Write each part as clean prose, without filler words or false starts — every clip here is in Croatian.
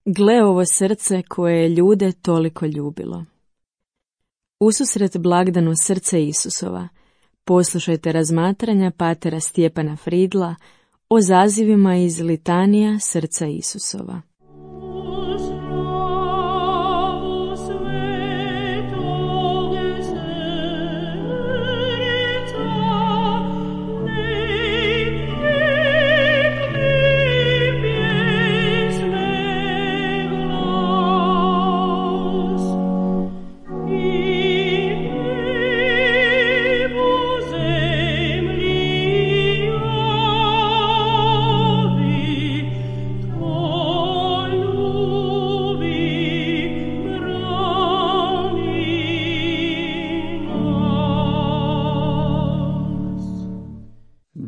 Gle ovo srce koje je ljude toliko ljubilo. Ususret blagdanu srce Isusova, poslušajte razmatranja patera Stjepana Fridla o zazivima iz litanija srca Isusova.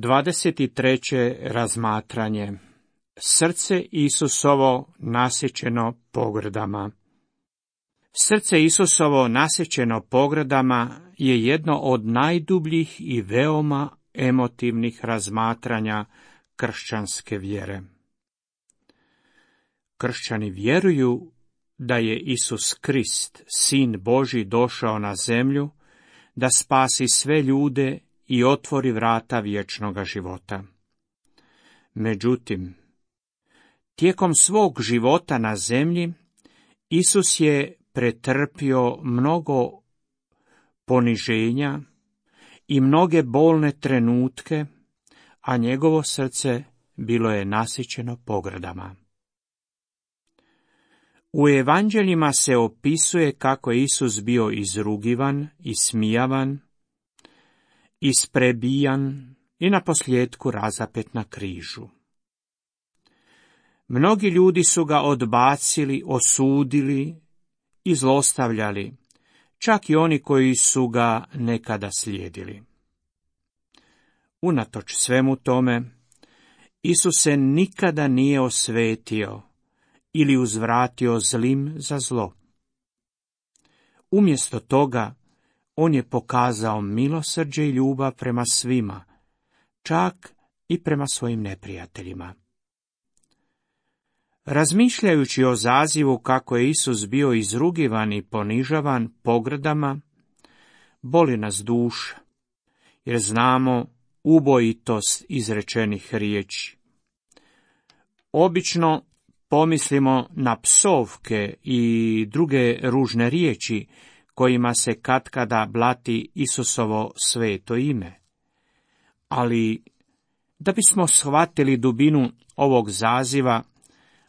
Dvadeset treće razmatranje. Srce Isusovo nasjećeno pogrdama. Srce Isusovo nasjećeno pogrdama je jedno od najdubljih i veoma emotivnih razmatranja kršćanske vjere. Kršćani vjeruju da je Isus Krist, Sin Božji, došao na zemlju da spasi sve ljude i otvori vrata vječnoga života. Međutim, tijekom svog života na zemlji, Isus je pretrpio mnogo poniženja i mnoge bolne trenutke, a njegovo srce bilo je nasjećeno pogrdama. U evanđeljima se opisuje kako je Isus bio izrugivan, ismijavan, isprebijan i naposljetku razapet na križu. Mnogi ljudi su ga odbacili, osudili i zlostavljali, čak i oni koji su ga nekada slijedili. Unatoč svemu tome, Isus se nikada nije osvetio ili uzvratio zlim za zlo. Umjesto toga, on je pokazao milosrđe i ljubav prema svima, čak i prema svojim neprijateljima. Razmišljajući o zazivu kako je Isus bio izrugivan i ponižavan pogrdama, boli nas duša, jer znamo ubojitost izrečenih riječi. Obično pomislimo na psovke i druge ružne riječi kojima se katkada blati Isusovo sveto ime. Ali, da bismo shvatili dubinu ovog zaziva,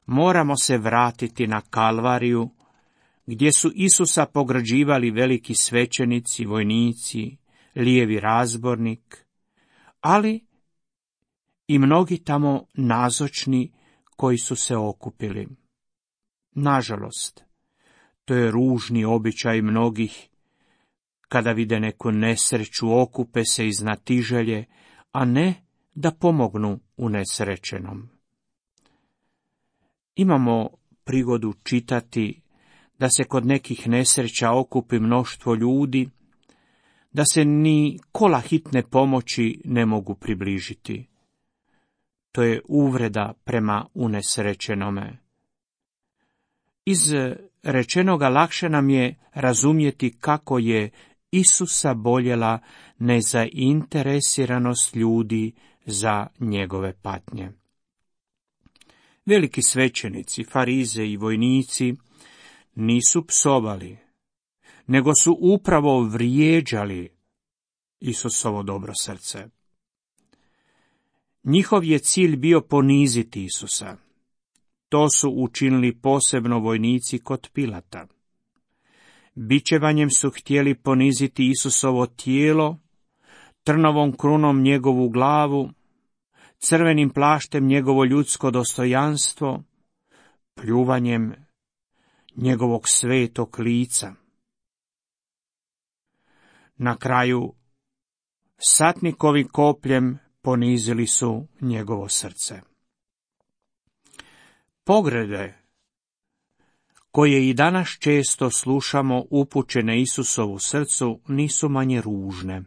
moramo se vratiti na Kalvariju, gdje su Isusa pograđivali veliki svećenici, vojnici, lijevi razbornik, ali i mnogi tamo nazočni koji su se okupili. Nažalost, to je ružni običaj mnogih, kada vide neku nesreću, okupe se iz znatiželje, a ne da pomognu unesrećenom. Imamo prigodu čitati da se kod nekih nesreća okupi mnoštvo ljudi, da se ni kola hitne pomoći ne mogu približiti. To je uvreda prema unesrećenome. Iz rečenoga lakše nam je razumjeti kako je Isusa boljela nezainteresiranost ljudi za njegove patnje. Veliki svećenici, farize i vojnici nisu psovali, nego su upravo vrijeđali Isusovo dobro srce. Njihov je cilj bio poniziti Isusa. To su učinili posebno vojnici kod Pilata. Bičevanjem su htjeli poniziti Isusovo tijelo, trnovom krunom njegovu glavu, crvenim plaštem njegovo ljudsko dostojanstvo, pljuvanjem njegovog svetog lica. Na kraju, satnikovi kopljem ponizili su njegovo srce. Pogrede, koje i danas često slušamo upućene Isusovu srcu, nisu manje ružne.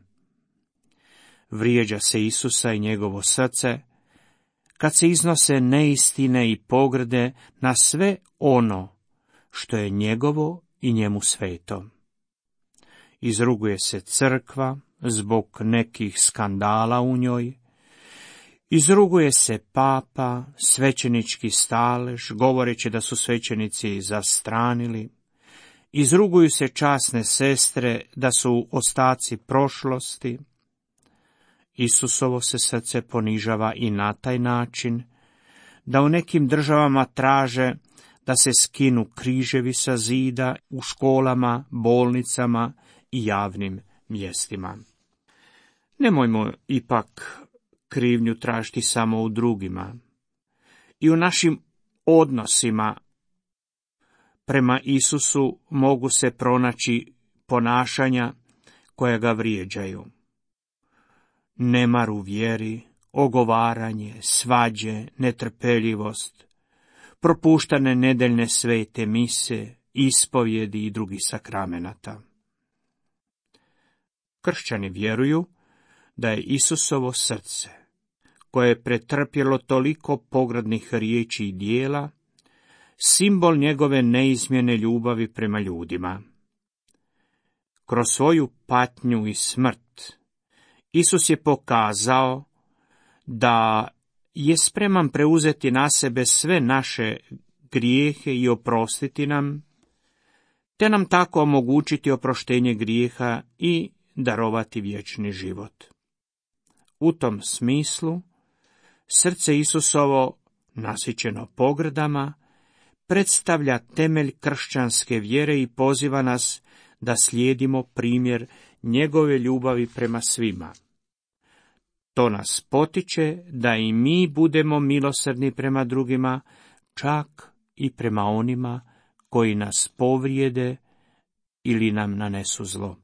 Vrijeđa se Isusa i njegovo srce, kad se iznose neistine i pogrde na sve ono što je njegovo i njemu sveto. Izruguje se crkva zbog nekih skandala u njoj, izruguje se papa, svećenički stalež, govoreći da su svećenici zastranili, izruguju se časne sestre da su ostaci prošlosti. Isusovo se srce ponižava i na taj način, da u nekim državama traže da se skinu križevi sa zida u školama, bolnicama i javnim mjestima. Nemojmo ipak krivnju tražiti samo u drugima. I u našim odnosima prema Isusu mogu se pronaći ponašanja koja ga vrijeđaju. Nemar u vjeri, ogovaranje, svađe, netrpeljivost, propuštane nedeljne svete mise, ispovjedi i drugih sakramenata. Kršćani vjeruju da je Isusovo srce, koje je pretrpjelo toliko pogrdnih riječi i dijela, simbol njegove neizmjene ljubavi prema ljudima. Kroz svoju patnju i smrt Isus je pokazao da je spreman preuzeti na sebe sve naše grijehe i oprostiti nam, te nam tako omogućiti oproštenje grijeha i darovati vječni život. U tom smislu, srce Isusovo, nasićeno pogrdama, predstavlja temelj kršćanske vjere i poziva nas da slijedimo primjer njegove ljubavi prema svima. To nas potiče da i mi budemo milosrdni prema drugima, čak i prema onima koji nas povrijede ili nam nanesu zlo.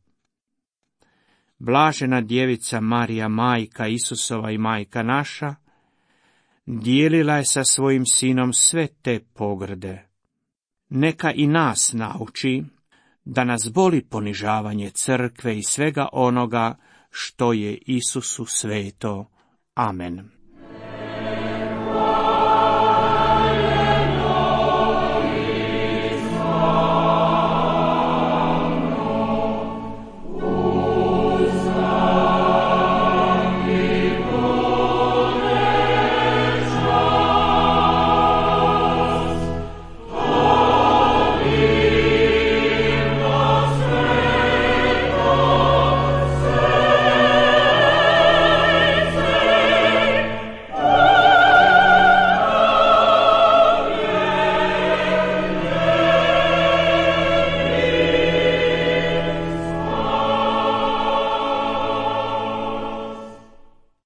Blažena djevica Marija, majka Isusova i majka naša, dijelila je sa svojim sinom sve te pogrde. Neka i nas nauči da nas boli ponižavanje crkve i svega onoga što je Isusu sveto. Amen.